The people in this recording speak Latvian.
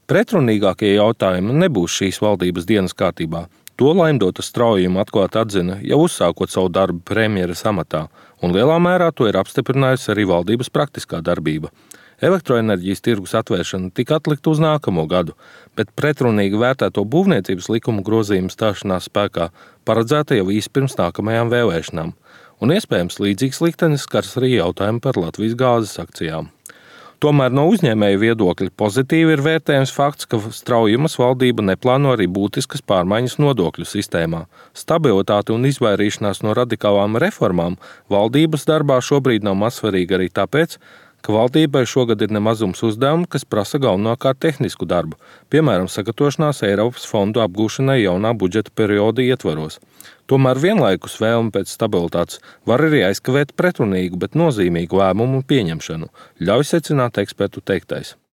Pretrunīgākie jautājumi nebūs šīs valdības dienas kārtībā. To Laimdota Straujuma atklāti atzina, jau uzsākot savu darbu premjeras amatā, un lielā mērā to ir apstiprinājusi arī valdības praktiskā darbība. Elektroenerģijas tirgus atvēršana tika atlikta uz nākamo gadu, bet pretrunīgi vērtēto būvniecības likumu grozījumu stāšanās spēkā paredzēta jau īsi pirms nākamajām vēlēšanām. Un iespējams līdzīgs liktenis skars arī jautājumu par Latvijas gāzes akcijām. Tomēr no uzņēmēju viedokļa pozitīvi ir vērtējams fakts, ka Straujumas valdība neplāno arī būtiskas pārmaiņas nodokļu sistēmā. Stabilitāte un izvairīšanās no radikālām reformām valdības darbā šobrīd nav mazsvarīga arī tāpēc, ka valdībai šogad ir nemazums uzdevumu, kas prasa galvenokārt tehnisku darbu, piemēram, sagatavošanās Eiropas fondu apgūšanai jaunā budžeta perioda ietvaros. Tomēr vienlaikus vēlme pēc stabilitātes var arī aizkavēt pretrunīgu, bet nozīmīgu lēmumu pieņemšanu, ļauj secināt ekspertu teiktais.